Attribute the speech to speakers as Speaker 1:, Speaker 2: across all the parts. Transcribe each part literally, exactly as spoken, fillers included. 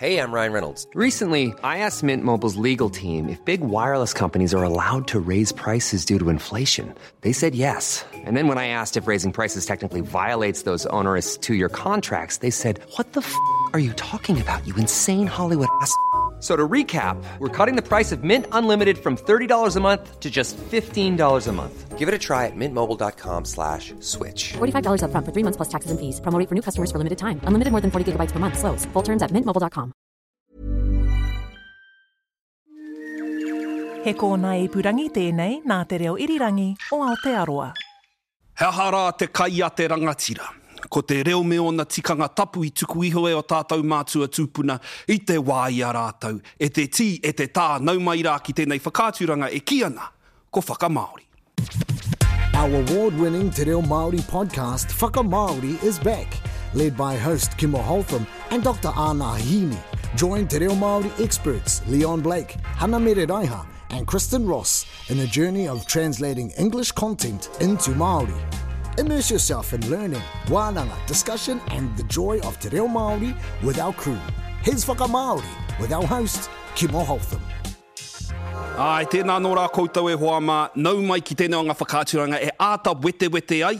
Speaker 1: Hey, I'm Ryan Reynolds. Recently, I asked Mint Mobile's legal team if big wireless companies are allowed to raise prices due to inflation. They said yes. And then when I asked if raising prices technically violates those onerous two-year contracts, they said, what the f*** are you talking about, you insane Hollywood ass?" So to recap, we're cutting the price of Mint Unlimited from thirty dollars a month to just fifteen dollars a month. Give it a try at mintmobile dot com slash switch.
Speaker 2: forty-five dollars upfront for three months plus taxes and fees. Promo rate for new customers for limited time. Unlimited more than forty gigabytes per month. Slows full terms at mint mobile dot com.
Speaker 3: He kōnae ipurangi tēnei nā Te Reo Irirangi o Aotearoa.
Speaker 4: He aha rā te kai a te rangatira? Ko te reo me ōna tikanga tapu i tuku iho e o tātou mātua tūpuna i te wā i a rātou. E te tī, e te tā, nau mai rā ki tēnei whakaaturanga e kī ana, ko Whakamāori.
Speaker 5: Our award-winning Te Reo Māori podcast, Whakamāori, is back, led by host Kimo Holtham and Doctor Ana Hini. Join Te Reo Māori experts Leon Blake, Hana Mereraiha, and Kristen Ross in a journey of translating English content into Māori. Immerse yourself in learning, wānanga, discussion, and the joy of Te Reo Māori with our crew. Here's Whakamāori with our host, Kimo Holtham.
Speaker 4: Ai, tēnā nō rā koutou e hoa mā, nau mai ki tēnei o ngā whakaaturanga e āta wetewete ai,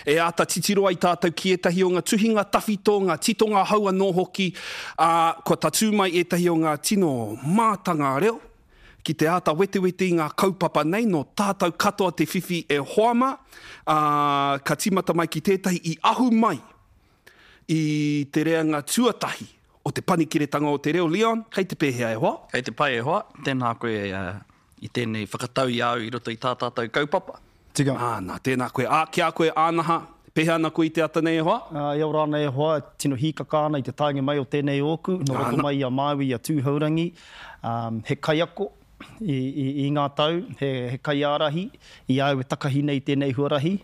Speaker 4: e āta titiro ai tātou ki ētahi o ngā tuhinga tawhito, ngā titonga hou anō hoki, ā, kua tatū mai ētahi o ngā tino mātanga reo, ki te āta wetewete i ngā kaupapa nei, nō tātou katoa te whiwhi e hoa mā, ā, ka tīmata mai ki tētahi i ahu mai i te reanga tuatahi o te panikiretanga o te reo. Leon, kei te pēhea e hoa?
Speaker 6: Kei te pai e hoa, tēnā koe uh, i tēnei whakatau i au i roto i tā tātou kaupapa.
Speaker 7: Tika.
Speaker 4: Ā, nā, tēnā koe. Ā, ki a koe, Ānaha, pēhea ana koe i te ata nei e hoa?
Speaker 7: Uh, e ora ana e hoa, tino hīkaka ana i te taenga mai o tēnei ōku, nō roto mai i a Māui i a Tūhourangi, um, he kaiako i, i, i ngā tau, he, he kaiārahi i au e takahi nei tēnei huarahi,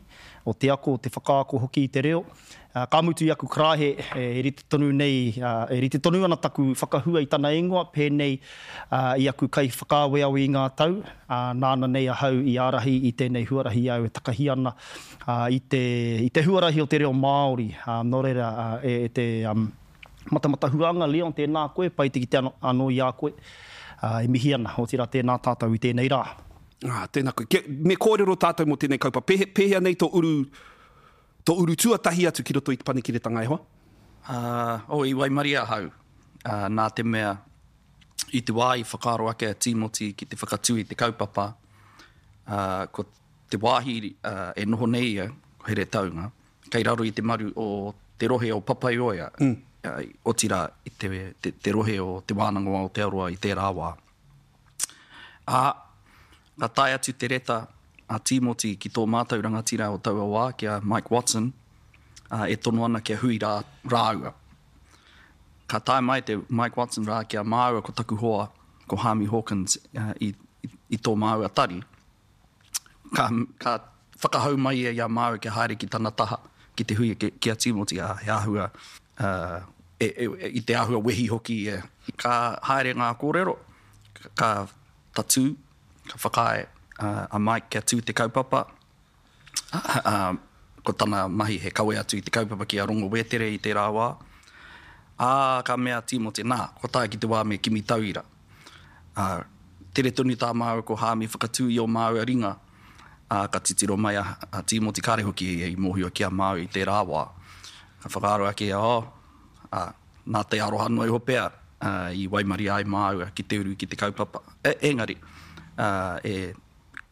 Speaker 7: o te ako, o te whakaako hoki i te reo. Uh, ka mutu i aku karaehe, e rite tonu nei, uh, e rite tonu ana taku whakahua i tana ingoa, pēnei uh, i aku kai whakaaweawe i ngā tau, uh, nāna nei ahau i ārahi i tēnei huarahi au e takahi ana uh, i, te, i te huarahi o te reo Māori. Uh, nō reira, uh, e, e te um, matamata huanga, Leon, tēnā koe, pai te kite anō, anō i a koe, uh, e mihi ana, otirā tēnā tātou i tēnei rā.
Speaker 4: Ah, tēnā koe. Ke, me kōrero tātou mō tēnei kaupapa. Pēhe, pēhea nei tō uru, tō uru tuatahi atu ki roto i te panikiretanga e hoa?
Speaker 6: Uh, oh, i waimarie ahau, uh, nā te mea i te wā i whakaaro ake a Tīmoti ki te whakatū i te kaupapa, uh, ko te wāhi uh, e noho nei ia, ko Heretaunga, kei raro i te maru o te rohe o Papaioea, mm. uh, otirā i te, te, te rohe o Te Wānanga o Aotearoa i tērā wā. Ā, ka tae atu te reta a Tīmoti ki tō mātou rangatira o taua wā, ki a Mike Watson, uh, e tono ana kia hui rā, rāua. Ka tae mai te Mike Watson rā ki a māua ko taku hoa, ko Hami Hawkins, uh, i, i, i tō māua tari. Ka, ka whakahau mai ia i a māua kia haere ki tana taha, ki te hui ki, ki a Tīmoti, a, he āhua, uh, e, e, e, i te āhua wehi hoki. E. Ka haere ngā kōrero, ka tatū, ka whakaae uh, a Mike kia tū te kaupapa. Uh, uh, ko tana mahi he kawe atu i te kaupapa ki a Rongo Wetere i tērā wā. Ā, ka mea Tīmoti, nā, ko tae ki te wā me kimi tauira. Uh, tere tonu tā māua ko Hāmi whakatū i o māua ringa, ā, ka titiro mai a, a Tīmoti kāre hoki i, i mōhio ki a māua i tērā wā. Ka whakaaro ake, oh, ā, nā te aroha noa iho pea uh, i waimarie ai māua ki te uru ki te kaupapa. E, engari, uh, e,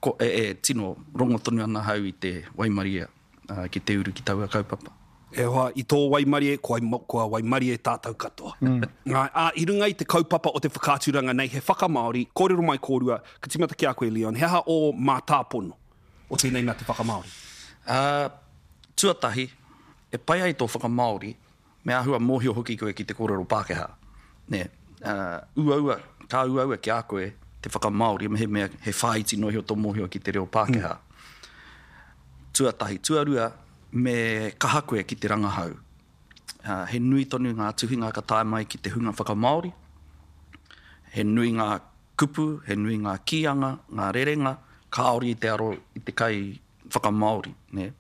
Speaker 6: ko, e, e tino rongo tonu ana hau i te waimarie uh, ki te uru ki taua kaupapa.
Speaker 4: E hoa, i tō waimarie, kua, kua waimarie tātou katoa. Mm. Ā, ā, i runga i te kaupapa o te whakaaturanga nei, he whakamāori, kōrero mai kōrua, ka tīmata ki a koe, Leon, he aha o mātāpono o tēnei mea te whakamāori?
Speaker 6: Uh, tuatahi, e pai ai tō whakamāori, me āhua mōhio hoki koe ki te kōrero Pākehā. Nē, uh, uaua, ka uaua ki a koe te whakamāori, me he mea he whāiti noa iho tō mōhio ki te reo Pākehā. Mm. Tuatahi, tuarua, me kaha koe ki te rangahau. Uh, he nui tonu ngā tuhinga ka tae mai ki te hunga whakamāori. He nui ngā kupu, he nui ngā kīanga, ngā rerenga, kāore i te aro i te kai whakamāori. Ne?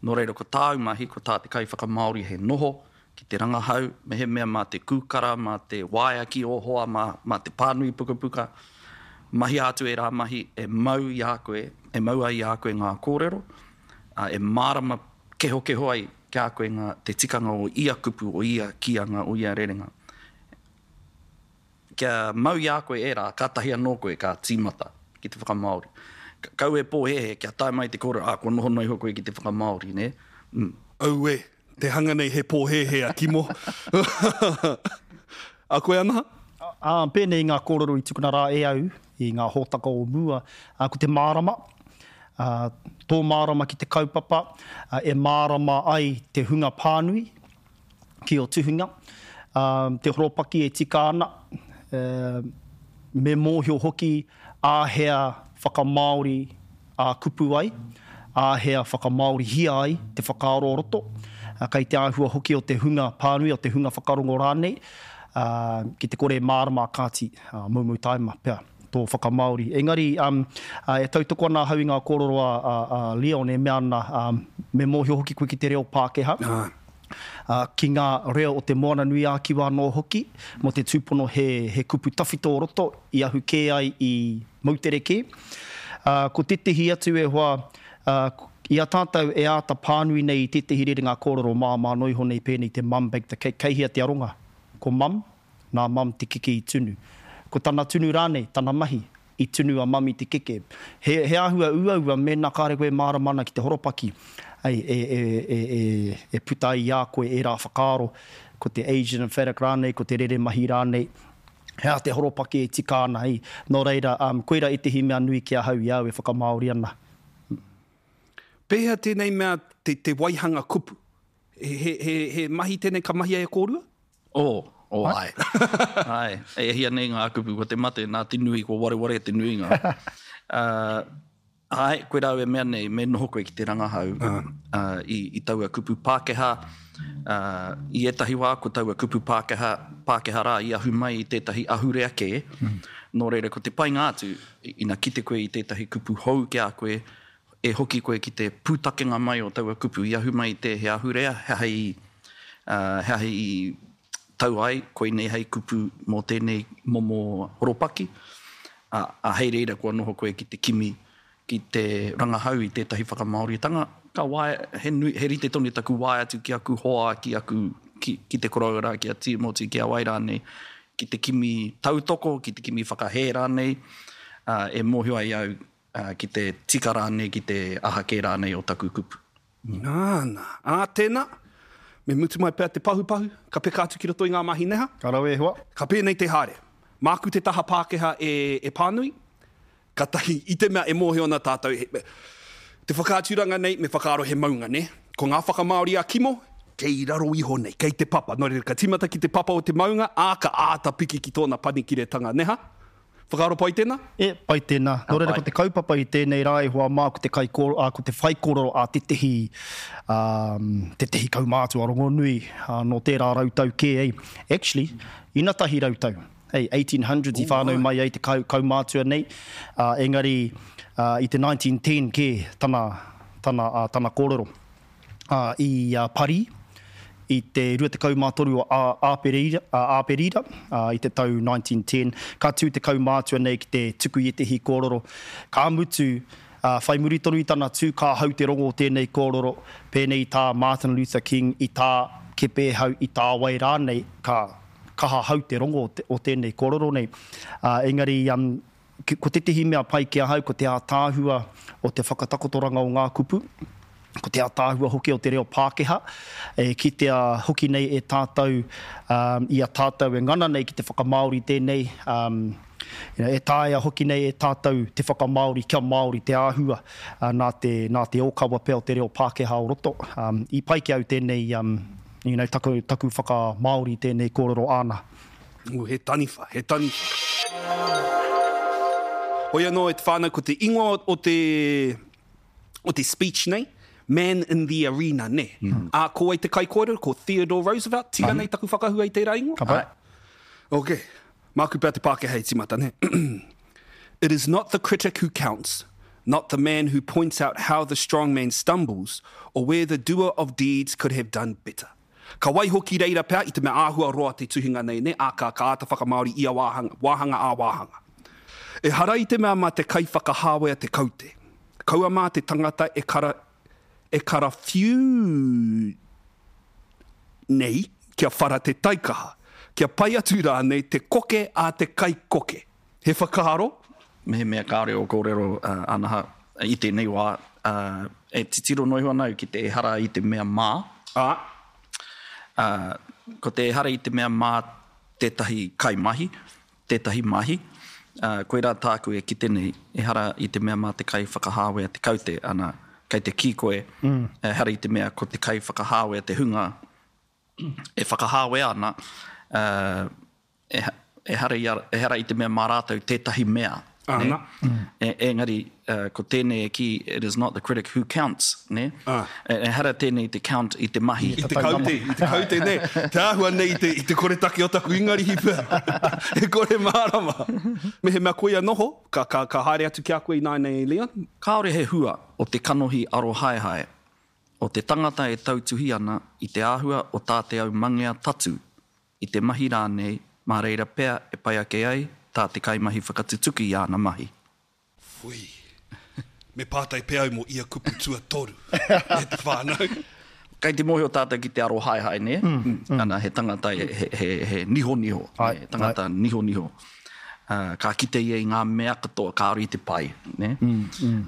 Speaker 6: Nō reira, ko tāu mahi, ko tā te kai whakamāori he noho ki te rangahau, mehemea mā te kūkara, mā te waea ki ō hoa, mā, mā te pānui pukapuka, mahia atu ērā mahi e mau i a koe, e mau ai i a koe ngā kōrero, ā, e mārama kehokeho ai ki a koe ngā, te tikanga o ia kupu, o ia kīanga, o ia rerenga. Kia mau i a koe ērā, kātahi anō koe ka tīmata ki te whakamāori. Kau e pōhēhē kia tae mai te kōrero, ā, kua noho noa iho koe ki te whakamāori, nē? Mm.
Speaker 4: Auē, te hanga nei he pōhēhē a Kimo. A koe Anaha?
Speaker 7: Ā, pēnei i ngā kōrero i tukuna rā e au i ngā hōtaka o mua, ā, ko te mārama, ā, tō mārama ki te kaupapa, ā, e mārama ai te hunga pānui ki ō tuhinga, ā, te horopaki e tika ana, ā, me mōhio hoki āhea whakamāori ā-kupu ai, āhea whakamāorihia ai te whakaaro o roto, ā, kei te āhua hoki o te hunga pānui, o te hunga whakarongo rānei, ā, ki te kore e mārama a kāti, ā, moumou taima pea tō whakamāori. Engari, ā, e tautoko ana ahau i ngā kōrero a, a, a Leon e mea ana, ā, me mōhio hoki koe ki te reo Pākehā, ā, ki ngā reo o te Moana-nui-ā-Kiwa anō hoki, mō te tūpono he, he kupu tawhito o roto i ahu kē ai i moutere kē. Ā, ko tētehi atu e hoa, ā, i a tātou e āta pānui nei i tētehi rerenga kōrero māmā noa iho nei pēnei te Mum baked the cake, kei hea te aronga? Ko Mum, nā Mum te keke i tunu. Ko tana tunu rānei, tana mahi, i tunu a Mum i te keke. He, he āhua uaua mēnā kāre koe e mārama ana ki te horopaki, ei, e, e, e, e, e puta ai i a koe ērā whakaaro, ko te Asian emphatic rānei, ko te rere mahi rānei, he aha te horopaki e tika ana, ei. Nō reira, um, koirā ētehi mea nui ki ahau i a au e whakamāori ana.
Speaker 4: Pēhea tēnei mea te, te waihanga kupu? He, he, he, he mahi tēnei ka mahia e kōrua?
Speaker 6: Oh, oh āe. Āe, e hia nei ngā kupu, ko te mate, nā te nui, kua wareware te nuinga. Uh, āe, koirā au e mea nei, me noho koe ki te rangahau uh, i, i taua kupu Pākehā. Uh, i ētahi wā, ko taua kupu Pākehā, Pākehā rā i ahu mai i tētahi ahurea kē. Mm. Nō reira, ko te painga atu, ina kite koe i tētahi kupu hou ki a koe, e hoki koe ki te pūtakenga mai o taua kupu i ahu mai i te he ahurea, he aha i, uh, he aha i tau ai, koinei hei kupu mō tēnei momo horopaki, ā, ā, hei reira kua noho koe ki te kimi, ki te rangahau i tētahi whakamāoritanga, ka waea, he nui, he rite tonu taku waea atu ki aku hoa, ki aku, ki, ki te koroua rā, ki a Tīmoti, ki a wai rānei, ki te kimi tautoko, ki te kimi whakahē rānei, ā, e mōhio ai au, ā, ki te tika rānei, ki te aha kē rānei o taku kupu.
Speaker 4: Nāna. Ā, tēnā, me mutu mai pea te pahupahu, ka peka atu ki roto i ngā mahi neha.
Speaker 7: Ka rawe e hoa.
Speaker 4: Ka pēnei te haere. Māku te taha Pākehā e, e pānui, katahi, i te mea e mōhio ana tātou, he, te whakaaturanga nei me whakaaro he maunga, nē? Ko ngā whakamāori a Kimo, kei raro iho nei, kei te papa. Nō reira, ka tīmata ki te papa o te maunga, ā, ka āta piki ki tōna panikiretanga, nē ha? Whakaaro pai tēnā?
Speaker 7: E, pai tēnā. Nō reira, ko te kaupapa i tēnei rā e hoa mā, ko te kaikōrero, ā, ko te whaikōrero a tētehi, ā, tētehi kaumātua rongonui, ā, nō tērā rautau kē, ei. Actually, inatahi rautau, ei, eighteen hundreds i whānau mai ai te kau, kaumātua nei, ā, engari, ā, i te nineteen ten kē tana, tana, ā, tana kōrero. Ā, i Parī, i te rua tekau mā toru o Āperira, Āperira, i te tau nineteen ten, ka tū te kaumātua nei ki te tuku i ētehi kōrero. Ka mutu, ā, whai muri tonu i tana tū, ka hau te rongo o tēnei kōrero, pēnei i tā Martin Luther King, i tā Kepēhau, i tā wai rānei, ka kaha hau te rongo o tēnei kōrero nei. Ā, engari, ko tētehi mea pai ki ahau, ko te ātaahua o te whakatakotoranga o ngā kupu, ko te ātaahua hoki o te reo Pākehā, e kitea hoki nei e tātou um, i a tātou e ngana nei ki te whakamāori tēnei, um, you know, e taea hoki nei e tātou te whakamāori kia Māori te āhua uh, nā te, nā te ōkawa pea o te reo Pākehā o roto. Um, i pai ki au tēnei, um, you know, taku, taku whakamāori tēnei kōrero āna.
Speaker 4: Ooh, he taniwha, he taniwha. Hoi anō e te whānau, ko te ingoa o te, o te speech nei, Man in the Arena, nē. Mm. Ā, ko wai te kaikōrero? Ko Theodore Roosevelt, tika nei taku whakahua i tērā ingoa?
Speaker 7: Ka pai.
Speaker 4: Ok, māku pea te Pākehā e tīmata, nē. It is not the critic who counts, not the man who points out how the strong man stumbles or where the doer of deeds could have done better. Ka waiho ki reira pea i te mea āhua roa te tuhinga nei, nē, ā, ka, ka āta whakamāori ia wāhanga, wāhanga ā wāhanga. Ehara i te mea mā te kaiwhakahāwea te kaute. Kaua mā te tangata e kara, e karawhiu nei kia whara te taikaha, kia pai atu rānei te koke a te kaikoke. He whakaaro?
Speaker 6: Mehemea kāore ō kōrero, Anaha, i tēnei wā, e titiro noa iho ana au ki te ehara i te mea mā.
Speaker 4: Ā.
Speaker 6: Ā, ko te ehara i te mea mā tētahi kaimahi, tētahi mahi, ā, koirā tāku e kite nei, ehara i te mea mā te kaiwhakahāwea te kaute, ana, kei te kī koe, ehara i te mea ko te kaiwhakahāwea te hunga e whakahāwea ana, ā, ehara i a, ehara i te mea mā rātou tētahi mea, nē?
Speaker 4: Ana.
Speaker 6: E, engari, uh, ko tēnei e kī, it is not the critic who counts, nē?
Speaker 4: Ah.
Speaker 6: E, ehara tēnei te count i te mahi.
Speaker 4: I te kaute, i te kaute, nē? Te āhua nei i te, i te koretake o taku Ingarihi pea. E kore mārama. Mehemea koia noho, ka, ka, ka haere atu ki a koe ināianei, Leon?
Speaker 6: Kāore he hua o te kanohi arohaehae, o te tangata e tautuhi ana i te āhua o tā te aumangea tatu, i te mahi rānei, mā reira pea e pai ake ai tā te kaimahi whakatutuki i āna mahi.
Speaker 4: Whui. Me pātai pea au mō ia kupu tuatoru e te whānau.
Speaker 6: Kei te mōhio tātou ki te arohaehae, nē? Ana, he tangata he, he, he, he nihoniho,
Speaker 7: Ai,
Speaker 6: he tangata nihoniho. Uh, ka kite ia i ngā mea katoa kāore i te pai, nē?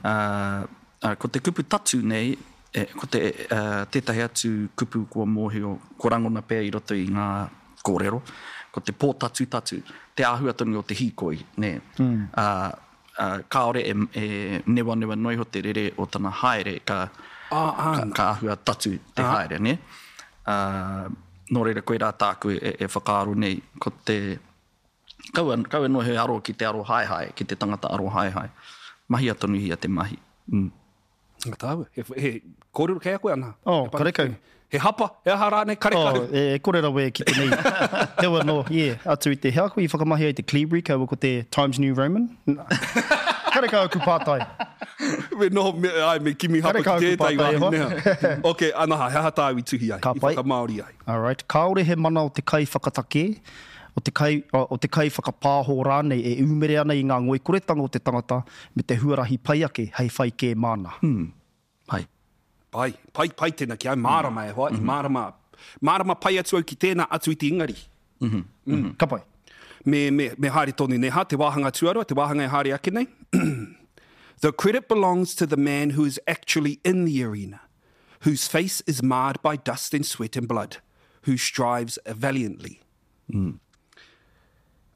Speaker 6: Uh, uh, ko te kupu tatu nei, e, ko te, uh, tētahi atu kupu kua mōhio, kua rangona pea i roto i ngā kōrero, ko te pōtatutatu, te āhua tonu o te hīkoi, nē. Uh, uh, kāore e, e newanewa noa iho te rere o tana haere, ka,
Speaker 4: Ah, ah.
Speaker 6: ka, ka āhua tatu te haere, nē. Uh, nō reira koirā tāku e, e whakaaro nei, ko te, kaua, kaua noa he aro ki te aro haehae, ki te tangata aro haehae. Mahia tonuhia te mahi. Mm.
Speaker 4: Ngā tāua. He, he kōrero kei a koe, Ana?
Speaker 7: Oh,
Speaker 4: He
Speaker 7: karekau.
Speaker 4: He hapa, he aha rānei, karekau.
Speaker 7: Oh, e, e kore rawe e kite nei. Heoi anō, yeah, atu i te hea koe i whakamahi ai te Cleavery, kaua ko te Times New Roman. Karekau aku pātai.
Speaker 4: Me noho, me, ai, me kimi hapa ki
Speaker 7: Karekau aku
Speaker 4: tētahi
Speaker 7: pātai, e
Speaker 4: wāhi
Speaker 7: hoa.
Speaker 4: nea. Ok, Anaha, he aha tāu i tuhi ai,
Speaker 7: Ka
Speaker 4: i
Speaker 7: pai.
Speaker 4: whakamāori ai.
Speaker 7: All right. Kāore he mana o te kai whakatakē, o te kai, o te kai whakapāho rānei e ūmere ana i ngā ngoikoretanga o te tangata me te huarahi pai ake hei whai kē māna.
Speaker 6: Mm. Pai.
Speaker 4: Pai, pai, pai tēnā ki au, mārama e hoa, i mārama, mārama pai atu au ki tēnā atu i te Ingarihi.
Speaker 7: Mm. Ka pai.
Speaker 4: Me, me, me haere tonu, ne ha, te wāhanga tuarua, te wāhanga e haere ake nei. The credit belongs to the man who is actually in the arena, whose face is marred by dust and sweat and blood, who strives valiantly.
Speaker 6: Mm.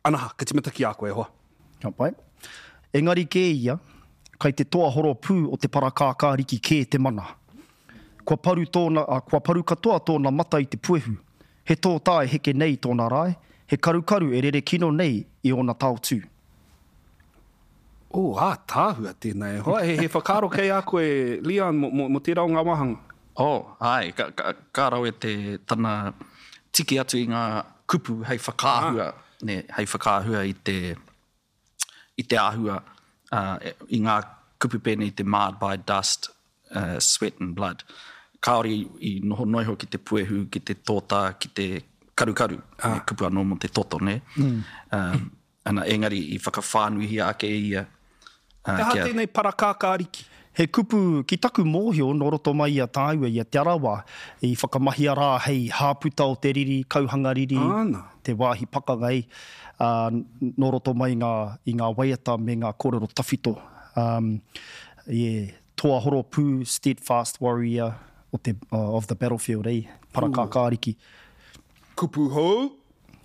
Speaker 4: Anaha, ka timata ki a koe, e hoa.
Speaker 7: Ka pai. Engari kē ia, kai te toa horopū o te parakākāriki kē te mana. Kua paru tōna, a, kua paru katoa tōna mata i te puehu. He tōtā e heke nei tōna rae, he karukaru e rere kino nei i ōna taotū.
Speaker 4: Oh, ā, tāhua tēnā e hoa. He, he whakaaro kei a koe, Leon, mo, mo, mo tērā o ngā wāhanga.
Speaker 6: Oh, ai, ka, ka, ka rawe te tana tiki atu i ngā kupu hei whakaahua, ne, hei whakaahua i te, i te āhua, uh, i ngā kupu pēnei te marred by dust, uh, sweat and blood. Kāore i, i noho noa iho ki te puehu, ki te tōtā, ki te karukaru, ah. ne, kupu anō mō te toto, ne? Mm. Um, ana, engari i whakawhānuihia ake ia. Uh,
Speaker 4: He aha tēnei parakākāriki?
Speaker 7: He kupu ki taku mōhio nō roto mai i a tāua, i a Te Arawa, i whakamahia rā hei hāputa o te riri, kauhanga riri,
Speaker 4: Āna.
Speaker 7: te wāhi pakanga ei, uh, nō roto mai i ngā, i ngā waiata me ngā kōrero tawhito. Um, yeah, toa horopū, steadfast warrior o te, uh, of the battlefield, ei, parakākāriki.
Speaker 4: Kupu hou?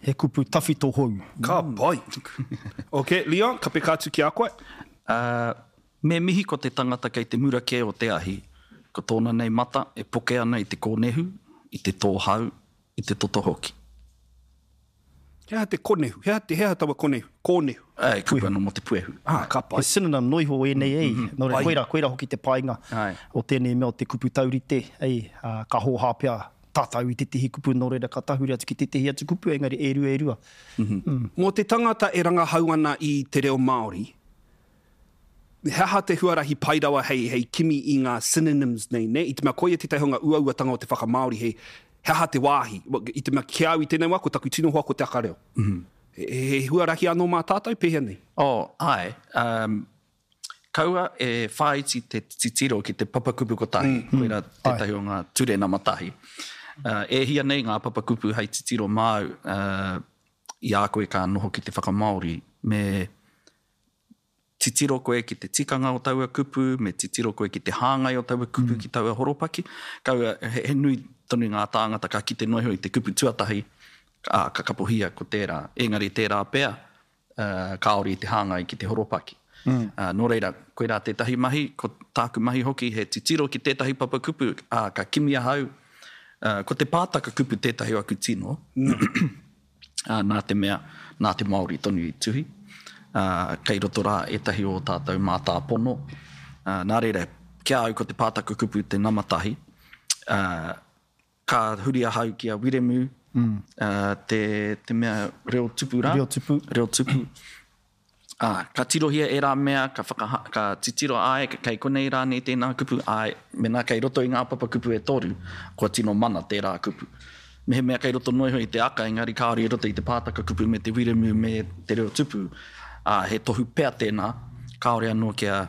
Speaker 7: He kupu tawhito hou.
Speaker 4: Ka pai. Ok, Leon, ka peka atu ki a koe.
Speaker 6: Uh, me mihi ko te tangata kei te mura kē o te ahi, ko tōna nei mata e poke ana i te kōnehu, i te tōhau, i te toto hoki.
Speaker 4: He aha te konehu? He aha, te, he aha taua konehu? Kōnehu?
Speaker 6: Ai, kupu anō mō te puehu.
Speaker 4: Ah, ka pai.
Speaker 7: He synonym noa iho ēnei ei. Nō reira,
Speaker 4: Pai.
Speaker 7: koira, koira hoki te painga
Speaker 6: Ai.
Speaker 7: o tēnei mea o te kupu taurite. Ei, uh, ka hōhā pea tātou i tētehi kupu, nō reira ka tahuri atu ki tētehi atu kupu, engari e rua e rua.
Speaker 4: Mō te tangata e rangahau ana i te reo Māori, he aha te huarahi pai rawa hei, hei kimi i ngā synonyms nei, ne? I te mea koia tētahi o ngā uauatanga o te whakamāori, he, He aha te wāhi? I te mea ki a au i tēnei wā, ko taku tino hoa ko te aka reo. Mm -hmm. He, he huarahi anō mā tātou, pēhea nei?
Speaker 6: Oh, āe. Um, kaua e whāiti te titiro ki te papakupu kotahi, mm. koirā tētahi o ngā ture nama tahi. Uh, e hia nei ngā papakupu hei titiro māu uh, i a koe ka noho ki te whakamāori, me titiro koe ki te tikanga o taua kupu, me titiro koe ki te hāngai o taua kupu mm. ki taua horopaki. Kaua, he, he nui tonu ngā tāngata ka kite noa iho i te kupu tuatahi, ā, ka kapohia ko tērā. Engari tērā pea, uh, kāore i te hāngai ki te horopaki. Mm. Uh, nō reira, koirā tētahi mahi, ko tāku mahi hoki he titiro ki tētahi papakupu, ā, ka kimi ahau, uh, ko te pātaka kupu tētahi o aku tino, mm. uh, nā te mea, nā te Māori tonu i tuhi, uh, kei roto rā ētahi o tātou mātāpono. Uh, nā reira, ki a au ko te pātaka kupu te nama tahi, uh, ka huri ahau ki a Wiremu, mm. uh, te, te mea reo tupu rā.
Speaker 7: Reo tupu.
Speaker 6: Reo tupu. Ā, ka tirohia ērā mea, ka whakaha, ka titiro, āe, kei konei rānei tēnā kupu, āe, mēnā kei roto i ngā papakupu e toru, kua tino mana tērā kupu. Mehemea kei roto noa iho i te aka, engari kāore i roto i te pātaka kupu me te wiremu me te reo tupu, ā, he tohu pea tēnā, kāore anō kia,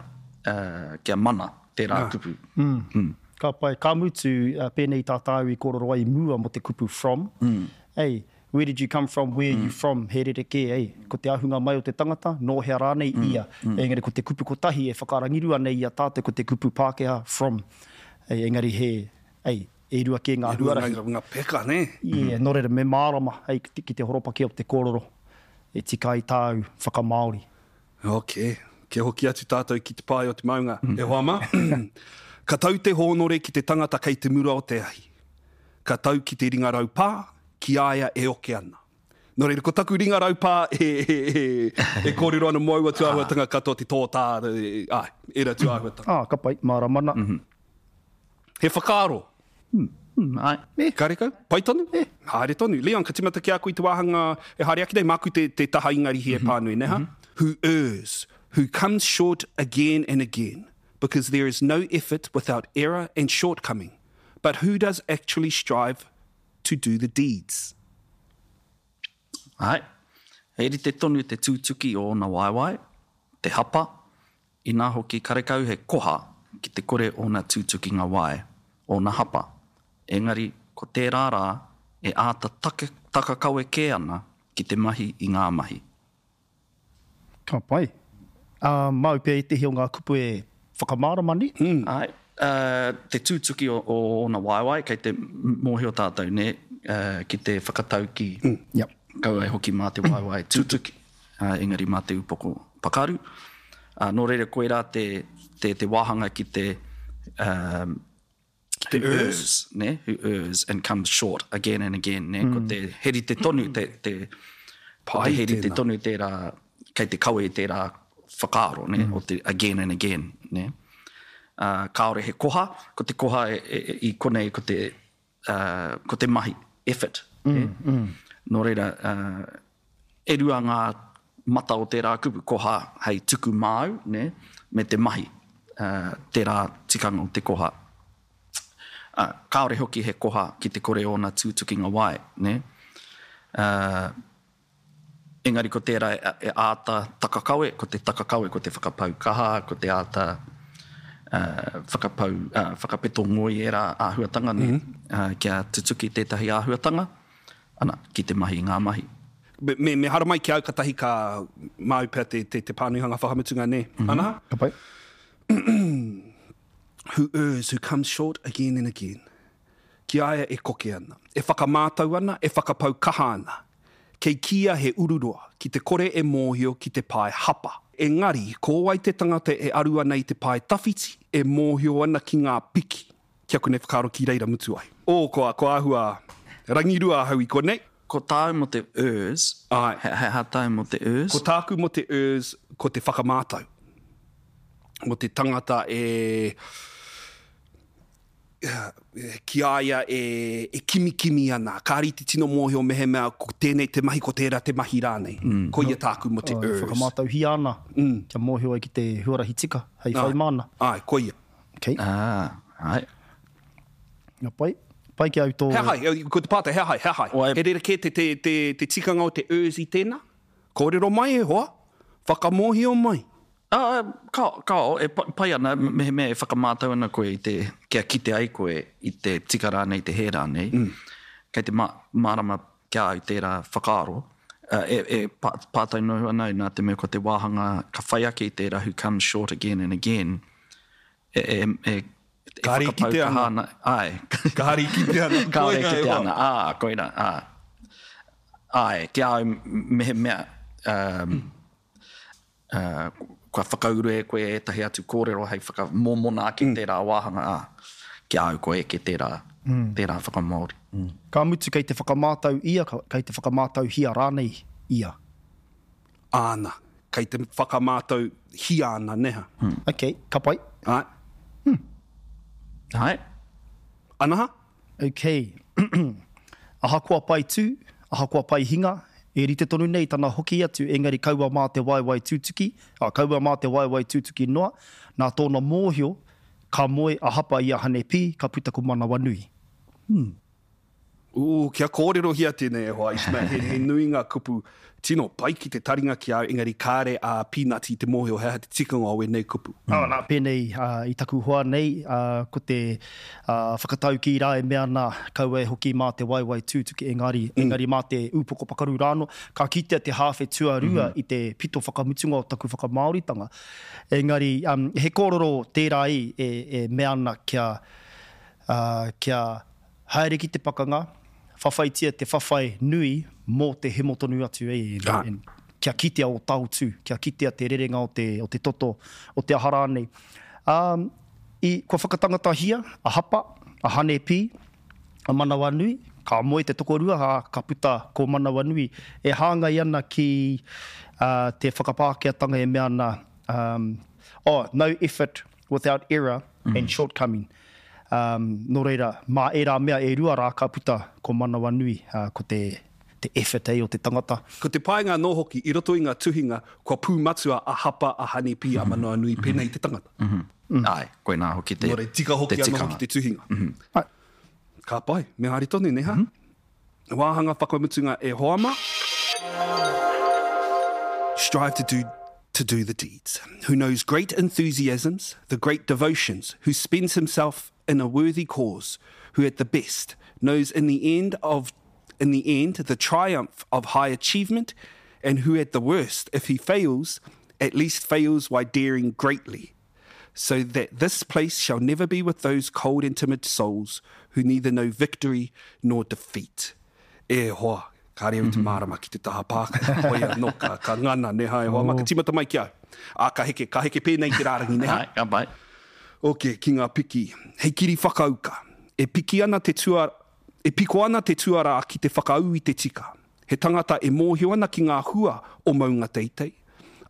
Speaker 6: uh, kia mana tērā
Speaker 7: ah.
Speaker 6: kupu.
Speaker 7: Mm. Mm. Ka pai, ka mutu, uh, pēnei tā tāu i kōrero ai i mua mō te kupu from, mm. Ei, where did you come from, where mm. you from, he rerekē, ei, ko te ahunga mai o te tangata, nō hea rānei mm. ia. Mm. Engari ko te kupu kotahi e whakarangirua nei i a tātou ko te kupu Pākehā, from. Ei, engari he, ei, e rua kē ngā huarahi.
Speaker 4: E rua ngā peka, nē?
Speaker 7: Yeah, nō reira, me mārama, ei, ki te horopaki o te kōrero, e tika ai tāu whakamāori.
Speaker 4: Ok, kia hoki atu tātou ki te pae o te maunga. Mm. E hoa mā, ka tau te hōnore ki te tangata kei te mura o te ahi. Ka tau ki te ringa raupā, ki a ia e oke ana. Nō reira, ko taku ringa raupā e, e, e, e kōrero ana mō aua tūāhuatanga katoa te tōtā, āe, ērā tūāhuatanga.
Speaker 7: Ah, ka pai, mārama ana.
Speaker 6: Mm -hmm.
Speaker 4: He whakaaro?
Speaker 6: Mm, mm, āe.
Speaker 4: Eh. Karekau? Pai tonu? Eh. Haere tonu. Leon, ka timata ki a koe i te wāhanga e haere ake nei, māku te, te taha Ingarihi e mm -hmm. pānui, ne ha? Mm -hmm. Who errs, who comes short again and again, because there is no effort without error and shortcoming, but who does actually strive to do the deeds.
Speaker 6: Āe, he rite tonu te tūtuki o ōna waewae, te hapa, inā hoki karekau he koha ki te kore ōna tūtukinga wae, ōna hapa. Engari, ko tērā rā e āta take, takakawe kē ana ki te mahi i ngā mahi.
Speaker 7: Ka pai. Ā, māu pea ētehi o ngā kupu e whakamārama nei?
Speaker 6: Mm. Āe. Uh, te tūtuki o, o ōna waewae, kei te mōhio tātou, nē, uh, ki te whakataukī.
Speaker 7: Mm, yep.
Speaker 6: Kaua e hoki mā te waewae tūtuki, uh, engari mā te upoko pakaru. Uh, nō reira, koirā te, te, te wāhanga ki te, um,
Speaker 4: ki te
Speaker 6: who errs, nē, who errs and comes short again and again, nē, mm. ko te he rite tonu te, te, ko te he rite tonu tērā, kei te kawe i tērā whakaaro, nē, mm. o te again and again, nē. Uh, kāore he koha, ko te koha e, e, e, i konei ko te, uh, ko te mahi, effort.
Speaker 7: Mm,
Speaker 6: eh?
Speaker 7: mm.
Speaker 6: Nō reira, uh, e rua ngā mata o tērā kupu, koha hei tuku māu, ne? Me te mahi, uh, tērā tikanga o te koha. Uh, kāore hoki he koha ki te kore ōna tūtukinga wae. Ne? Uh, engari ko tērā e, e āta takakawe, ko te takakawe, ko te whakapau kaha, ko te āta Uh, whakapau, uh, whakapeto ngoi ērā āhuatanga, mm -hmm. uh, kia tutuki tētahi āhuatanga, ana, ki te mahi i ngā mahi.
Speaker 4: Me, me, me haramai ki au katahi ka māu pea te, te, te pānuihanga whakamutunga, nē. Mm -hmm. Ana?
Speaker 7: Ka pai.
Speaker 4: Who errs, who comes short again and again. Ki a ia e koke ana, e whakamātau ana, e whakapau kaha ana. Kei kīia he ururoa, ki te kore e mōhio ki te pae hapa. Engari, ko wai te tangata e aru ana i te pae tawhiti, e mōhio ana ki ngā piki. Ki aku nei whakaaro ki reira mutu ai. Ō, ko, ko āhua rangirua ahau i konei.
Speaker 6: Ko tāu mō te errs,
Speaker 4: Āe.
Speaker 6: he, he aha tāu mō te errs?
Speaker 4: Ko tāku mō te errs, ko te whakamātau. Mō te tangata e... ki a ia e, e kimikimi ana. Kāre i te tino mōhio mehemea ko tēnei te mahi, ko tērā te mahi rānei. Mm. Ko ia tāku mō te errs.
Speaker 7: Whakamātauhia ana, mm. kia mōhio ai ki te huarahi tika, hei whai māna.
Speaker 4: Āe, ko ia.
Speaker 7: Okay.
Speaker 6: Ah, āe.
Speaker 7: Nga pai. Pai ki au tō...
Speaker 4: He aha, ko te pātai, he aha, he aha.
Speaker 6: Wai-
Speaker 4: He rerekē te, te, te, te tikanga o te ers i tēnā? Kōrero mai e hoa, whakamōhio mai.
Speaker 6: Ah, kao, kao, e pai ana, mehemea e whakamātau ana koe i te, kia kite ai koe i te tika rānei, te hē rānei, mm. kei te ma, mārama kia au tērā whakaaro, uh, e, e pā, pātai noho ana nā te mea ko te wāhanga ka whai ake i tērā who comes short again and again, e, e, e, e
Speaker 4: Kāre i
Speaker 6: whakapau
Speaker 4: kite
Speaker 6: kaha
Speaker 4: ana.
Speaker 6: ana. Ai.
Speaker 4: Kāre i kite ana.
Speaker 6: Kāre i
Speaker 4: Koina e
Speaker 6: kite
Speaker 4: hoa.
Speaker 6: ana, ā, koina, ā. Ai, ki a au mehemea, um, uh, kua whakauru e koe ētahi atu kōrero hei whakamōmona ake mm. tērā wāhanga, ā, ki a au koe eke tērā, mm. tērā whakamāori. Mm.
Speaker 7: Ka mutu kei te whakamātau ia, kei te whakamātauhia rānei ia.
Speaker 4: Āna, kei te whakamātau hia ana, neha.
Speaker 7: Mm. Ok, ka pai.
Speaker 4: Ai.
Speaker 6: Mm. Ai.
Speaker 4: Anaha?
Speaker 7: Ok. Ahakoa pai tū, ahakoa pai hinga, e rite tonu nei tana hoki atu, engari kaua mā te waewae tūtuki, a, kaua mā te waewae tūtuki noa, nā tōna mōhio, ka moe a hapa i a Hane Pī, ka puta ko Manawanui.
Speaker 4: Hmm. Ū, kia kōrerohia tēnei e hoa, Ishmael, he, he nui ngā kupu tino pai ki te taringa ki au, engari kāre a Pīnati i te mōhio he aha te tikanga o ēnei kupu.
Speaker 7: Mm. Oh, nā, pēnei uh, i taku hoa nei, uh, ko te uh, whakataukī rā e mea ana kaua e hoki mā te waewae tūtuki, engari, mm. engari mā te ūpoko pakaru rāno, ka kitea te hāwhe tuarua mm -hmm. i te pito whakamutunga o taku whakamāoritanga. Engari, um, he kōrero tērā i e, e mea ana kia, uh, kia haere ki te pakanga, whawhaitia te whawhai nui mō te hemo tonu atu e, e, kia kitea o taotū, kia kitea te rerenga o te, o te toto, o te aha rānei. Um, i, kua whakatangatahia a Hapa, a Hane Pī, a Manawanui, ka moe te tokorua, ha, ka puta ko Manawanui, e hāngai ana ki uh, te whakapākehātanga e mea ana, um, oh, no effort without error mm. and shortcoming. Um, nō reira, mā ērā mea e rua rā ka puta ko Manawanui, uh, ko te, te effort ei o te tangata.
Speaker 4: Ko te painga anō hoki, i roto i ngā tuhinga, kua pūmatua a Hapa, a Hane Pī, a Manawanui, mm -hmm. pēnei te tangata.
Speaker 6: Mm -hmm. Mm. Ai, koinā hoki te,
Speaker 4: Nō reira, tika hoki
Speaker 6: te
Speaker 4: anō
Speaker 6: tikanga.
Speaker 4: hoki te tuhinga.
Speaker 6: Mm -hmm.
Speaker 7: Ai.
Speaker 4: Ka pai, me haere tonu, neha? Mm -hmm. Wāhanga whakamutunga e hoa mā. Strive to do to do the deeds, who knows great enthusiasms, the great devotions, who spends himself in a worthy cause, who at the best knows in the end of in the end the triumph of high achievement, and who at the worst, if he fails, at least fails while daring greatly, so that this place shall never be with those cold and timid souls who neither know victory nor defeat. E hoa, kāre au te mārama ki te taha Pākehā. Hoi anō, ka, ka ngana, neha e hoa, ma, ka tīmata mai ki au. Ā, ka heke, ka heke pēnei te rārangi, neha.
Speaker 6: Ai, ka pai.
Speaker 4: Ok, ki ngā piki. Hei kiri whakauka. E piki ana te tua, e piko ana te tuarā ki te whakaū i te tika. He tangata e mōhio ana ki ngā hua o maunga teitei.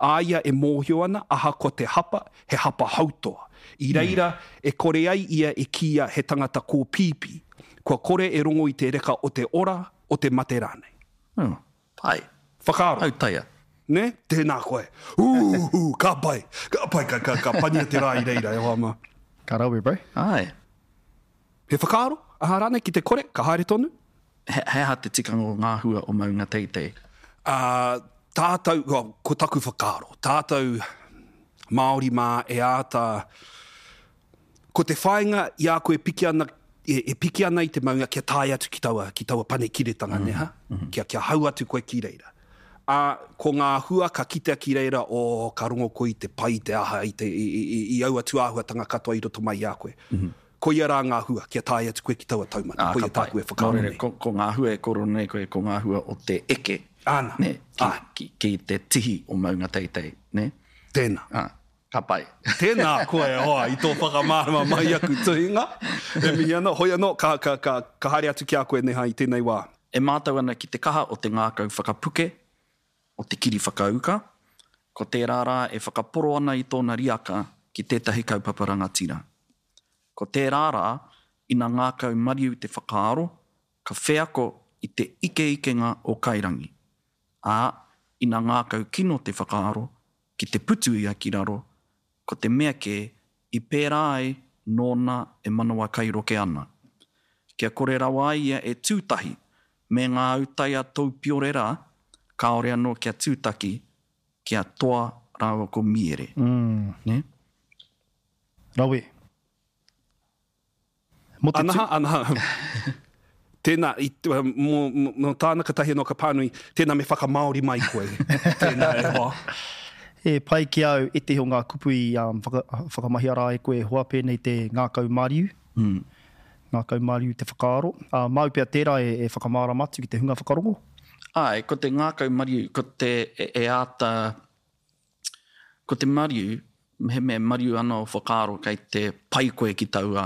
Speaker 4: A ia e mōhio ana, ahakoa te hapa, he hapa hautoa. I reira, e kore ai ia e kīia he tangata kōpīpī. Kua kore e rongo i te reka o te ora, o te mate rānei.
Speaker 6: Oh, pai.
Speaker 4: Whakaaro.
Speaker 6: Autaia.
Speaker 4: Ne? Tēnā koe. Ū, ka pai. Ka pai, ka, ka, ka pania te rā i reira, e hoa mā.
Speaker 7: Ka rawe, bro.
Speaker 6: Ai.
Speaker 4: He whakaaro, aha rānei ki te kore, ka haere tonu?
Speaker 6: He, he aha te tikanga o ngā hua o maunga teitei?
Speaker 4: Uh, tātou, well, ko taku whakaaro, tātou Māori mā e āta, ko te whāinga i a koe piki ana, e, e piki ana i te maunga kia tae atu ki taua, ki taua panekiretanga, mm -hmm. neha? Mm -hmm. Kia, kia hau atu koe ki reira. A, ko ngā hua ka kitea ki reira, o, ka rongo koe i te pai, te aha, i, te, i, i, i aua tūāhuatanga katoa i roto mai i a koe. Mm -hmm. Koia rā ngā hua, kia tae atu koe ki taua taumata.
Speaker 6: Ah,
Speaker 4: koia
Speaker 6: ka pai.
Speaker 4: tāku e whakaaro
Speaker 6: Nō reira,
Speaker 4: nei.
Speaker 6: ko, ko ngā hua e koro nei koe, ko ngā hua o te eke.
Speaker 4: Āna.
Speaker 6: Ne, ki,
Speaker 4: Ai.
Speaker 6: ki, ki te tihi o maunga teitei, ne?
Speaker 4: Tēnā.
Speaker 6: Ah, ka pai.
Speaker 4: Tēnā koe e hoa, i tō whakamārama mai aku tuhinga. E mihi ana, hoi anō, ka, ka, ka, ka haere atu ki a koe neha i tēnei wā.
Speaker 6: E mātau ana ki te kaha o te ngākau whakapuke, o te kiri whakauka, ko tērā rā e whakaporo ana i tōna riaka ki tētahi kaupapa rangatira. Ko tērā rā, ina ngākau mariu te whakaaro, ka wheako i te ikeikenga o Kairangi. Ā, ina ngākau kino te whakaaro, ki te putu ia ki raro, ko te mea kē, i pērā ai nōna e manawa kairoke ana. Kia kore rawa ai ia e tūtahi me ngā autai a Toupiore rā, kāore anō kia tūtaki ki a Toa rāua ko Miere.
Speaker 7: Mm.
Speaker 6: Nē?
Speaker 7: Rawe. Mō te
Speaker 4: Anaha, anaha. Tēnā, i, mō, mō tāna katahi anō ka pānui, tēnā me whakamāori mai koe. Tēnā e hoa.
Speaker 7: E pai ki au ētehi o ngā kupu i um, whaka, whakamahia rā e koe e hoa, pēnei te ngākau mariu.
Speaker 6: Mm.
Speaker 7: Ngākau mariu te whakaaro. Uh, māu pea tērā e, e whakamārama atu ki te hunga whakarongo?
Speaker 6: Ai, ko te ngākau mariu, ko te e, e āta, ko te mariu, mehemea mariu ana o whakaaro kei te pai koe ki taua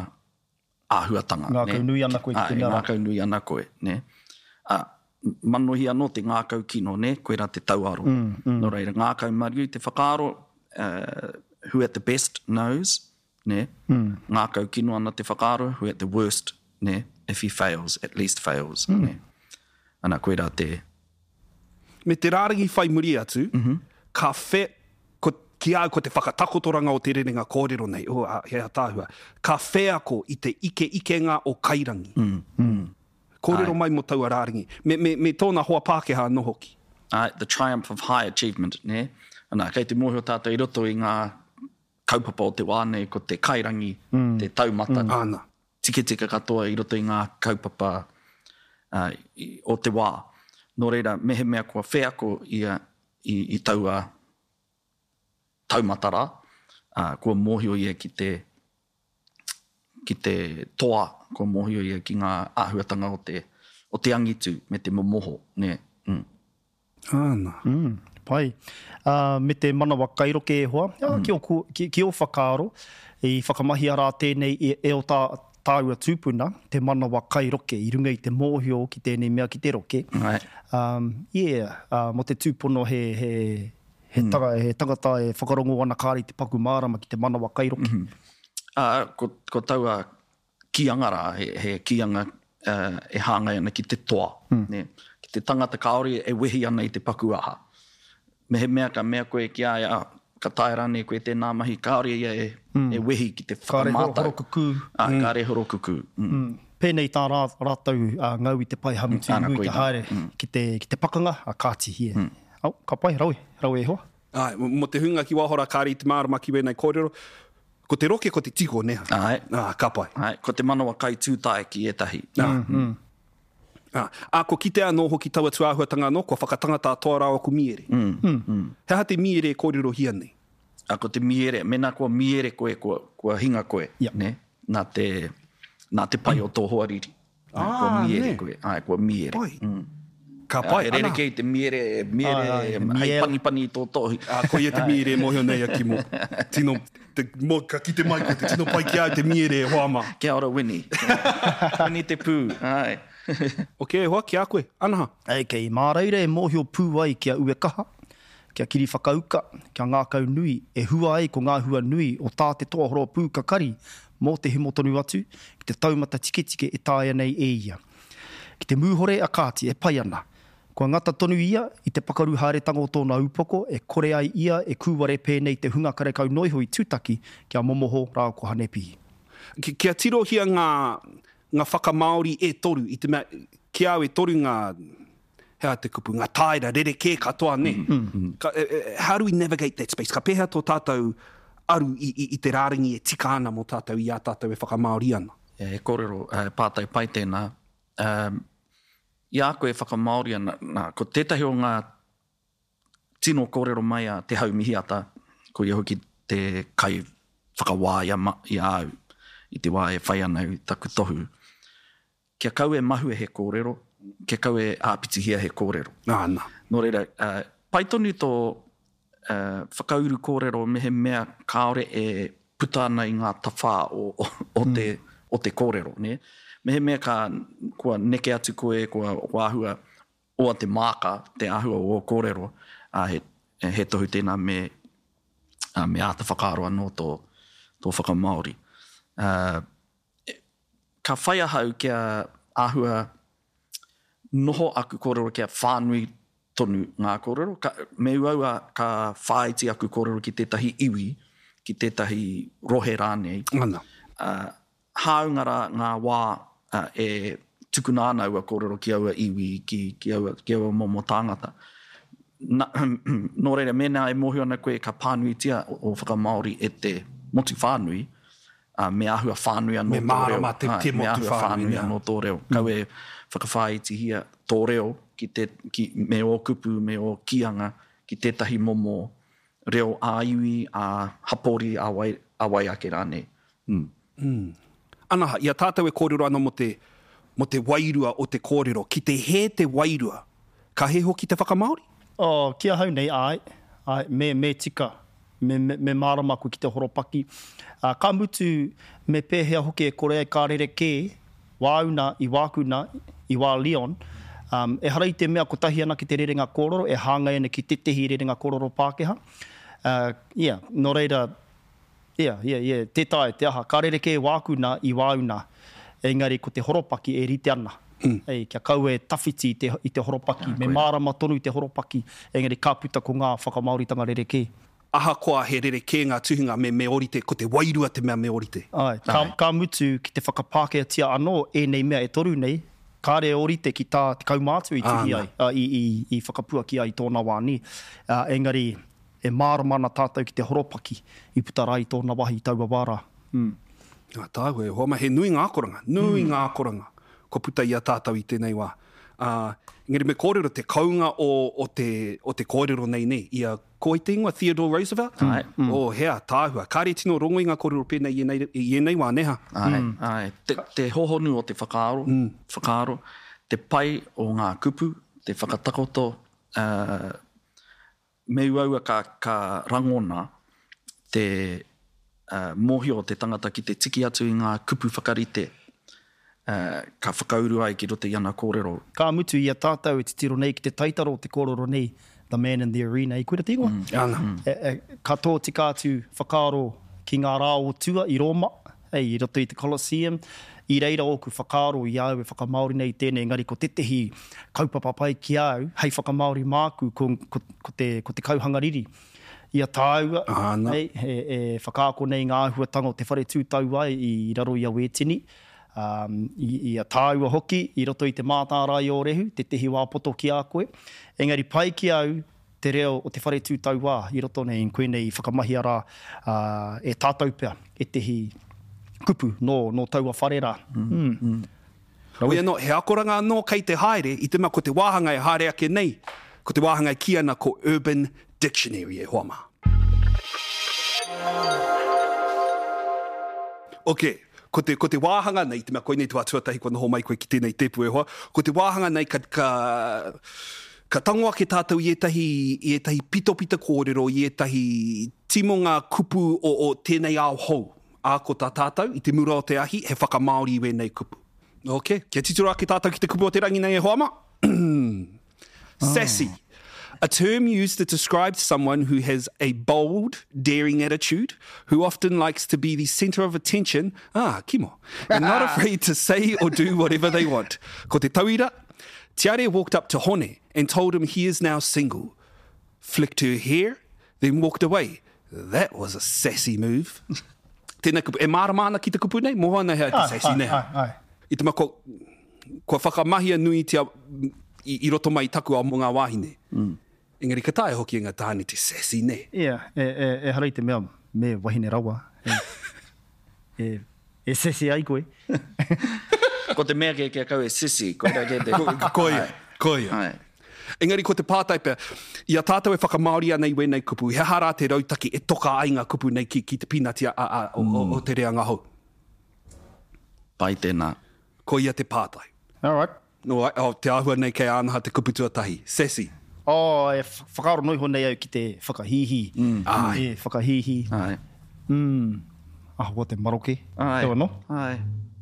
Speaker 6: āhuatanga.
Speaker 7: Ngākau nui ana koe ki te
Speaker 6: mea
Speaker 7: rā.
Speaker 6: Ngākau nui ana koe, ne? A, manohi anō te ngākau kino, ne? Koe rā te tauaro.
Speaker 7: Mm, mm.
Speaker 6: Nō reira, ngākau mariu te whakaaro, uh, who at the best knows, ne?
Speaker 7: Mm.
Speaker 6: Ngākau kino ana te whakaaro, who at the worst, ne? If he fails, at least fails,
Speaker 7: Mm.
Speaker 6: ne? Ana, koe rā te...
Speaker 4: Me te rārangi whai muri atu,
Speaker 6: mm -hmm.
Speaker 4: ka whe, ko, ki au ko te whakatakotoranga o te rerenga kōrero nei, oh, a, he ataahua, ka wheako i te ike ikenga o Kairangi.
Speaker 6: Mm. Mm.
Speaker 4: Kōrero mai mō taua rārangi. Me, me, me tōna hoa Pākehā anō hoki.
Speaker 6: Ai, the triumph of high achievement, ne? Ana, kei te mōhio tātou i roto i ngā kaupapa o te wā nei, ko te Kairangi,
Speaker 7: mm.
Speaker 6: te taumata.
Speaker 4: Mm. Ana.
Speaker 6: Tiketika katoa i roto i ngā kaupapa uh, i, o te wā. Nō reira, mehemea kua wheako ia i, i taua taumata rā, uh, kua mōhio ia ki te, ki te toa, kua mōhio ia ki ngā āhuatanga o te, o te angitu me te momoho. Ne? Mm.
Speaker 4: Ana.
Speaker 7: Mm, pai. Uh, me te manawa kairoke e hoa, mm. ki, o, ki, ki o whakaaro, i whakamahia rā tēnei e, e o tā, tāua tūpuna, te manawa kairoke, i runga i te mōhio ki tēnei mea ki te roke.
Speaker 6: Right.
Speaker 7: Um, yeah, uh, mō te tūpono he, he, he, mm. tanga, he tangata e whakarongo ana kāri te paku mārama ki te manawa kairoke.
Speaker 6: Mm -hmm. Uh, ko, ko taua kīanga rā, he, he kīanga uh, e hāngai ana ki te toa.
Speaker 7: Mm.
Speaker 6: Ne? Ki te tangata kāore e wehi ana i te paku aha. Mehemea ka mea koe ki a ia, ka taea rānei koe tēnā mahi, kāore ia e,
Speaker 7: mm.
Speaker 6: e wehi ki te
Speaker 7: Kāre
Speaker 6: whakamātau.
Speaker 7: horokukū.
Speaker 6: Ah,
Speaker 7: Mm.
Speaker 6: Kāre horokukū. Mm.
Speaker 7: Mm. Pēnei tā rā, rātou uh, ngau i te pai hamutu
Speaker 6: Ana,
Speaker 7: nui te
Speaker 6: koina.
Speaker 7: haere
Speaker 6: Mm.
Speaker 7: ki te, ki te pakanga, a kāti hie.
Speaker 6: Mm.
Speaker 7: Oh, ka pai, rawe, rawe e hoa.
Speaker 4: Ai, mō te hunga ki wahora kāre i te mārama ki wēnei kōrero, ko te roke ko te tiko, neha.
Speaker 6: Ai.
Speaker 4: Ah, ka pai.
Speaker 6: Ai, ko te manawa kai tūtae ki ētahi.
Speaker 4: Ah.
Speaker 7: Mm, mm.
Speaker 4: Ah, ah, ko kitea anō hoki taua tūāhuatanga anō, kua whakatangata a toa rāua ko Miere.
Speaker 6: Mm.
Speaker 7: Mm.
Speaker 6: Mm.
Speaker 4: He aha te Miere e kōrerohia nei?
Speaker 6: A, ko te miere, mēnā kua miere koe, kua, kua hinga koe,
Speaker 7: Yep.
Speaker 6: ne? Nā te, nā te pai o tō hoariri.
Speaker 4: Ah,
Speaker 6: kua miere
Speaker 4: ne.
Speaker 6: koe. Ai, kua miere.
Speaker 4: Pai.
Speaker 6: Mm.
Speaker 4: Ka pai,
Speaker 6: He rerekē i te miere, miere,
Speaker 7: Ai, ai,
Speaker 6: hei
Speaker 7: miere.
Speaker 6: panipani i tō tohi.
Speaker 4: Ah, ko ia te miere e mōhio nei a Kimo. Tino, te, mo, ka kite mai koe, te tino pai ki au te miere e hoa mā.
Speaker 6: Kia ora, Winnie. Winnie te pū, ai.
Speaker 4: Ok, e hoa, ki a koe. Anaha.
Speaker 7: Okay, mā reira e mōhio pū ai kia uekaha, kia kiri whakauka, kia ngākau nui, e hua ai ko ngā hua nui o tā te toa horo pū kakari mō te himo tonu atu, ki te taumata tiketike e taea nei e ia. Ki te mūhore a Kāti e pai ana. Kua ngata tonu ia i te pakaru haeretanga o tōna upoko e kore ai ia e kūware pēnei te hunga karekau noiho i tūtaki kia momoho rā ko Hanepihi.
Speaker 4: Ki, kia tirohia ngā, ngā whakamāori e toru, i te mea, ki au e toru ngā, he aha te kupu, ngā taera rerekē katoa, ne?
Speaker 6: Mm -hmm.
Speaker 4: Ka, e, e, how do we navigate that space? Ka pēhea tō tātou aru i, i, i te rārangi e tika ana mō tātou i a tātou e whakamāori ana?
Speaker 6: E kōrero, e, pātai pai tēnā. Um, i a koe e whakamāori ana, nā, ko tētahi o ngā tino kōrero mai a Te Haumihiata, ko ia hoki te kai whakawā i a, ma, i a au, i te wā e whai ana i taku tohu. Kia kau e mahue he kōrero, kia kau e āpitihia he kōrero.
Speaker 4: Nā, nā.
Speaker 6: Nō reira, uh, pai tonu tō uh, whakauru kōrero mehemea kāore e puta ana i ngā tawhā o, o, o, te, o te kōrero. Ne? Mehemea ka, kua neke atu koe, kua, kua āhua oa te māka, te āhua o ō kōrero, uh, he, he tohu tēnā me, uh, me āta whakaaro anō tō, tō whakamāori. Uh, ka whai ahau kia āhua noho aku kōrero kia whānui tonu ngā kōrero. Ka, me uaua ka whāiti aku kōrero ki tētahi iwi, ki tētahi rohe rānei.
Speaker 4: Ana.
Speaker 6: Uh, hāunga rā ngā wā uh, e tukuna ana aua kōrero ki aua iwi, ki, ki, aua, ki aua momo tāngata. Na, nō reira, mēnā e mōhio ana koe ka pānuitia o, o whakamāori e te motu whānui, uh, me āhua whānui anō
Speaker 4: me
Speaker 6: tō reo.
Speaker 4: Me te, te
Speaker 6: me
Speaker 4: motu
Speaker 6: āhua
Speaker 4: whānui,
Speaker 6: whānui anō tō reo. Mm. Kau e whakawhāitihia tō reo ki te, ki, me ō kupu, me ō kīanga ki tētahi momo reo ā-iwi, ā-hapori, ā-wai, ā-wai ake rānei. Mm.
Speaker 4: Mm. Anaha, i a tātou e kōrero ana mō te, mō te wairua o te kōrero, ki te hē te wairua, ka hē hoki te whakamāori?
Speaker 7: Oh, ki ahau nei, āe, āe, me, me tika, me, me, me mārama koe ki te horopaki. Uh, ka mutu, me pēhea hoki e kore ai ka rerekē, wāuna i wākuna, i wā Leon, um, ehara i te mea kotahi ana ki te rerenga kōrero, e hāngai ana ki tētehi rerenga kōrero Pākehā. Uh, yeah, nō reira, yeah, yeah, yeah, tē taea te aha, ka rerekē wākuna i wāuna, engari ko te horopaki e rite ana. Mm. Ei, kia kaua e tawhiti i te, i te horopaki, yeah, me mārama tonu te horopaki, engari ka puta ko ngā whakamāoritanga rerekē.
Speaker 4: Ahakoa he rerekē ngā tuhinga me me orite, ko te wairua te mea me orite.
Speaker 7: Ai, ka, ka mutu ki te whakapākehātia anō ēnei mea e toru nei, kāre orite ki tā te kaumātua i tuhi ai, uh, i, i, i whakapuaki ai i tōna wā ni. Uh, engari, e mārama ana tātou ki te horopaki i puta rā i tōna wahi i taua wā rā. Mm.
Speaker 4: Ngā tāua e hoa ma, he nui ngā akoranga, nui mm. ngā akoranga kua puta i a tātou i tēnei wā. Uh, engari me kōrero te kounga o, o, te, o te kōrero nei nei, i a ko i te ingoa Theodore Roosevelt?
Speaker 6: Ai.
Speaker 4: Mm. Oh, hea, tāhua. Kāre tino rongo i ngā kōrero pēnei i ēnei, i ēnei wā, neha?
Speaker 6: Ai, mm. ai. Te, te hohonu o te whakaaro, mm. whakaaro, te pai o ngā kupu, te whakatakoto, uh, me uaua ka, ka rangona te uh, mōhio o te tangata ki te tiki atu i ngā kupu whakarite, uh, ka whakauru ai ki roto i ana kōrero.
Speaker 7: Ka mutu i a tātou e titiro nei ki te taitaro o te kōrero nei, The Man in the Arena, i koira te ingoa?
Speaker 4: Mm. Ana.
Speaker 7: Mm. E, e, ka tōtika atu whakaaro ki ngā rā o tua i Roma, ei, i roto i te Colosseum, i reira ōku whakaaro i au e whakamāori nei tēnei, engari ko tētehi kaupapa pai ki au, hei whakamāori māku ko, ko, ko, te, ko te kauhangariri. I a tāua, ei, e, e whakaako nei ngā āhuatanga o te whare tūtau ai i raro i a Wētini, um, i, i a tāua hoki, i roto i te mātārae o Rehu, tētehi wā poto ki a koe. Engari pai ki au te reo o te whare tūtauā i roto nei, koe nei i whakamahia rā uh, e tātou pea, ētehi kupu nō, nō taua whare rā.
Speaker 4: Mm. Mm. Mm. Hoi anō, he akoranga anō kei te haere, i te mea ko te wāhanga e haere ake nei, ko te wāhanga e kī ana ko Urban Dictionary e hoa mā. Ok, ko te, ko te wāhanga nei, te mea koinei te wā tuatahi kua noho mai koe ki tēnei tēpu e hoa, ko te wāhanga nei ka, ka, ka tango ake tātou i ētahi, i ētahi pitopita kōrero, i ētahi timonga kupu o, o tēnei ao hou. Ā, ko tā tātou, i te mura o te ahi, he whakamāori i wēnei kupu. Ok, kia titiro ake tātou ki te kupu o te rangi nei e hoa mā. Sassy. A term used to describe someone who has a bold, daring attitude, who often likes to be the centre of attention, ah, kimo, and not afraid to say or do whatever they want. Ko te tauira, Tiare walked up to Hone and told him he is now single. Flicked her hair, then walked away. That was a sassy move. Tēnā kupu, e mārama ana ki te kupu nei? Moho ana hea te sassy nei.
Speaker 7: Ai, ai, ai.
Speaker 4: I te mea, kua, kua whakamahia nui tia i, i roto mai taku ao mō ngā wāhine.
Speaker 6: Mm.
Speaker 4: Engari ka taea hoki e ngā tāne te sassy nei.
Speaker 7: Yeah, e, e, e hara i te mea me wahine rawa. E, e, e sassy ai koe.
Speaker 6: Ko te mea kia kau e sissy, koira kē te...
Speaker 4: Ko, koia, koia.
Speaker 6: Ai.
Speaker 4: Engari ko te pātai pea, i a tātou e whakamāori ana i wēnei kupu, he aha rā te rautaki e toka ai ngā kupu nei ki, ki te pīnati a, a, o, mm. o, o te reanga hou?
Speaker 6: Pai tēnā.
Speaker 4: Koia te pātai.
Speaker 7: All right.
Speaker 4: No, oh, te āhua nei kei ānaha te kupu tuatahi. Sassy.
Speaker 7: Oh, e whakaaro noiho nei au ki te whakahīhī.
Speaker 6: Mm.
Speaker 4: Ai.
Speaker 7: E, whakahīhī.
Speaker 6: Ai.
Speaker 7: Mm. Ahakoa te maroke.
Speaker 6: Ai.
Speaker 7: Teo anō?
Speaker 6: Ai.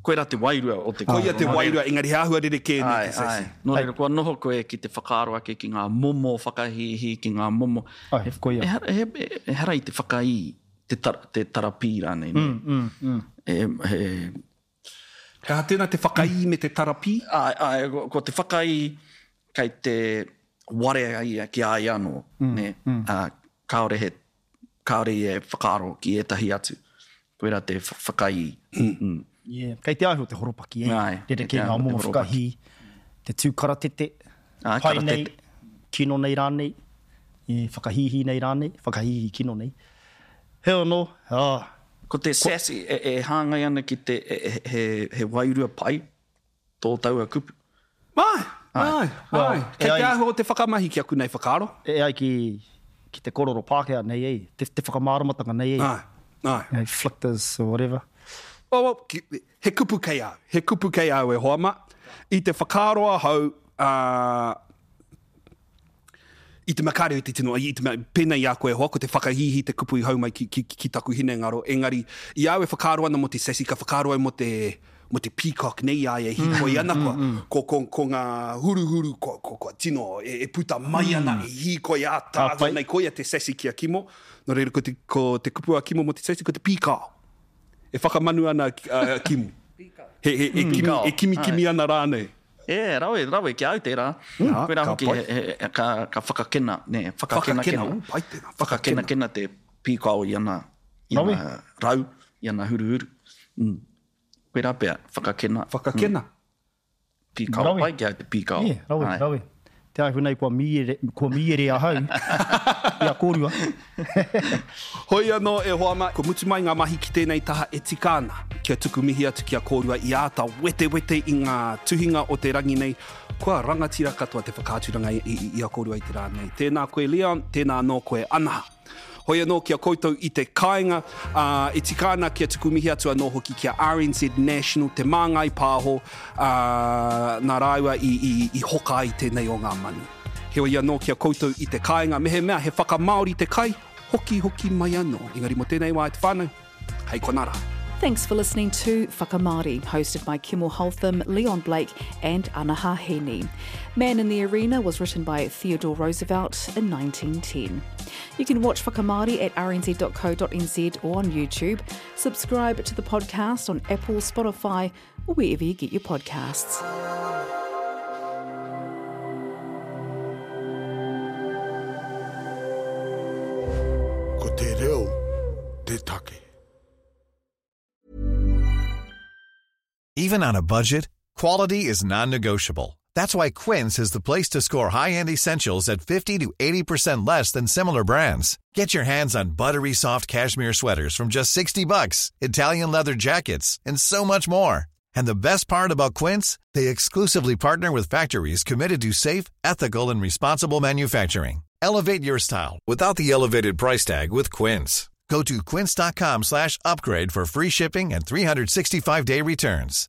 Speaker 6: Koira te wairua o te
Speaker 4: Koia te wairua, engari he āhua rerekē nei te sassy.
Speaker 6: Ai. Nō reira, kua noho koe ki te whakaaro ake ki ngā momo whakahīhī, ki ngā momo...
Speaker 7: Ai, koia.
Speaker 6: Ehara, e, ehara i te whakaī, te, tar, te tarapī rānei.
Speaker 7: Mm, mm, mm.
Speaker 6: E, he...
Speaker 4: He aha tēnā te whakaī me te tarapī?
Speaker 6: Ai, ai, ko, ko te whakaī kei te warea ia ki a ia anō.
Speaker 7: Mm,
Speaker 6: ne?
Speaker 7: Mm.
Speaker 6: Uh, kāore, he, kāore i e whakaaro ki ētahi atu. Koira te whakaī.
Speaker 4: Mm.
Speaker 6: Mm.
Speaker 7: Yeah. Kei te āhua o te horopaki, eh?
Speaker 6: Āe, kei te
Speaker 7: Rerekē ngā
Speaker 6: āhua o te
Speaker 7: momo
Speaker 6: horopaki.
Speaker 7: whakahī, te tū karatete,
Speaker 6: Āe,
Speaker 7: pai nei,
Speaker 6: karatete.
Speaker 7: kino nei rānei, e, whakahīhī nei rānei, whakahīhī kino nei. Heoi anō, ah.
Speaker 6: Ko te sassy e, e hāngai ana ki te, e, e, he, he wairua pai tō taua kupu.
Speaker 4: Āe, āe,
Speaker 7: Well,
Speaker 4: āe. Kei
Speaker 7: e
Speaker 4: te
Speaker 7: ai-
Speaker 4: āhua o te whakamahi ki aku nei whakaaro.
Speaker 7: E ai ki, ki te korero Pākehā nei, e, te, te whakamāramatanga nei, e.
Speaker 4: Āe, āe.
Speaker 7: You know, flickers or whatever.
Speaker 4: Oh, well, ki, he kupu kei au, he kupu kei au e hoa ma. I te whakaaro ahau, uh, i te mea kāre i te tino, i te mea, pēnei i a koe e hoa, ko te whakahīhī te kupu i hau mai ki, ki, ki taku hinengaro. Engari, i au e whakaaro ana mō te sassy, ka whakaaro au mō te, mō te peacock nei i a ia e hīkoi ana kua, ko, ko, ko ngā huruhuru, ko, ko, ko tino e, e puta mai ana, e hīkoi ātaahua
Speaker 7: pai.
Speaker 4: nei, koia te sassy ki a Kimo. Nō reira, ko te, ko te kupu a Kimo mō te sassy, ko te pīkao. E whakamanu ana a Kimo. He, he, e, kimi, e kimi kimi ana rānei.
Speaker 6: E, rawe, rawe ki au tērā.
Speaker 4: Mm.
Speaker 6: Koirā
Speaker 4: Ka
Speaker 6: hoki,
Speaker 4: pai.
Speaker 6: he, he, ka, ka whakakena, ne, whakakena
Speaker 4: Whakakena,
Speaker 6: kena.
Speaker 4: ū, pai tēnā,
Speaker 6: Whakakena kena te pīkao i ana, i
Speaker 7: Rawe.
Speaker 6: ana rau, i ana huruhuru. Mm. Koirā pea, whakakena.
Speaker 4: Whakakena.
Speaker 6: Mm. Pīkao,
Speaker 7: Rawe.
Speaker 6: pai ki au te pīkao.
Speaker 7: Yeah, rawe,
Speaker 6: Ai.
Speaker 7: rawe. Te āhua nei kua mīere, kua mīere ahau i a kōrua.
Speaker 4: Hoi anō e hoa ma, kua mutu mai ngā mahi ki tēnei taha e tika ana. Kia tuku mihi atu ki a kōrua i āta wetewete i ngā tuhinga o te rangi nei. Kua rangatira katoa te whakaaturanga i, i, i a kōrua i te rā nei. Tēnā koe Leon, tēnā anō koe Anaha. Hoi anō ki a koutou i te kāinga, uh, e tika ana kia tuku mihi atu anō hoki ki a R N Z National, te Māngai Pāho, uh, nā rāua i, i, i hoka ai tēnei o ngā manu. Heoi anō ki a koutou i te kāinga, mehemea he whakamāori te kai, hoki hoki mai anō. Engari mō tēnei wā e te whānau, hei konā rā.
Speaker 8: Thanks for listening to Whakamāori, hosted by Kimo Holtham, Leon Blake and Anaha Heaney. Man in the Arena was written by Theodore Roosevelt in nineteen ten. You can watch Whakamāori at r n z dot co dot n z or on YouTube. Subscribe to the podcast on Apple, Spotify or wherever you get your podcasts.
Speaker 9: Ko te reo te take.
Speaker 10: Even on a budget, quality is non-negotiable. That's why Quince is the place to score high-end essentials at fifty to eighty percent less than similar brands. Get your hands on buttery soft cashmere sweaters from just sixty bucks, Italian leather jackets, and so much more. And the best part about Quince, they exclusively partner with factories committed to safe, ethical, and responsible manufacturing. Elevate your style without the elevated price tag with Quince. Go to quince dot com slash upgrade for free shipping and three hundred sixty-five day returns.